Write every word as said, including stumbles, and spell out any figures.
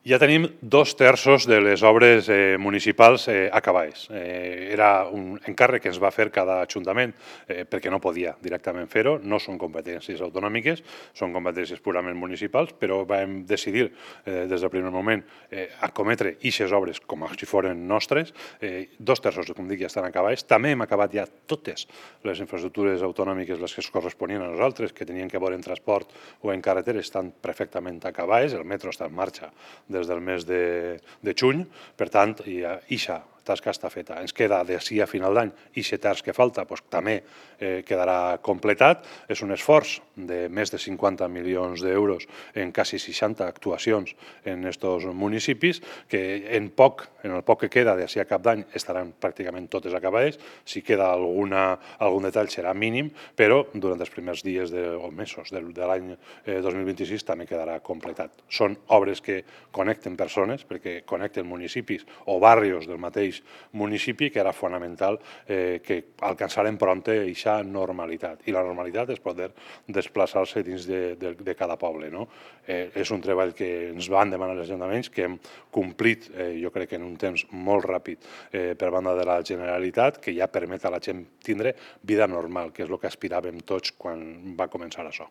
Ja tenim dos terços de les obres eh, municipals eh, acabades. Eh, era un encàrrec que ens va fer cada ajuntament eh, perquè no podia directament fer-ho, no són competències autonòmiques, són competències purament municipals, però vam decidir eh, des del primer moment eh, acometre eixes obres com si foren nostres. Eh, dos terços, com dic, ja estan acabades. També hem acabat ja totes les infraestructures autonòmiques, les que es corresponien a nosaltres, que tenien que veure en transport o en carreteres, estan perfectament acabades. El metro està en marxa des del mes de, de juny, per tant, ja, ixa tasca està feta. Ens queda d'ací a final d'any ixe terç que falta, doncs, també eh, quedarà completat. És un esforç de més de cinquanta milions d'euros en quasi seixanta actuacions en aquests municipis, que en poc, en el poc que queda d'ací a cap d'any estaran pràcticament totes acabades. Si queda alguna, algun detall serà mínim, però durant els primers dies de, o mesos de, de l'any eh, dos mil vint-i-sis també quedarà completat. Són obres que connecten persones, perquè connecten municipis o barris del mateix municipi, que era fonamental eh, que alcançarem prompte aquesta normalitat. I la normalitat és poder desplaçar-se dins de, de, de cada poble. No? Eh, és un treball que ens van demanar els ajuntaments, que hem complit, eh, jo crec que en un temps molt ràpid eh, per banda de la Generalitat, que ja permet a la gent tindre vida normal, que és el que aspiràvem tots quan va començar això.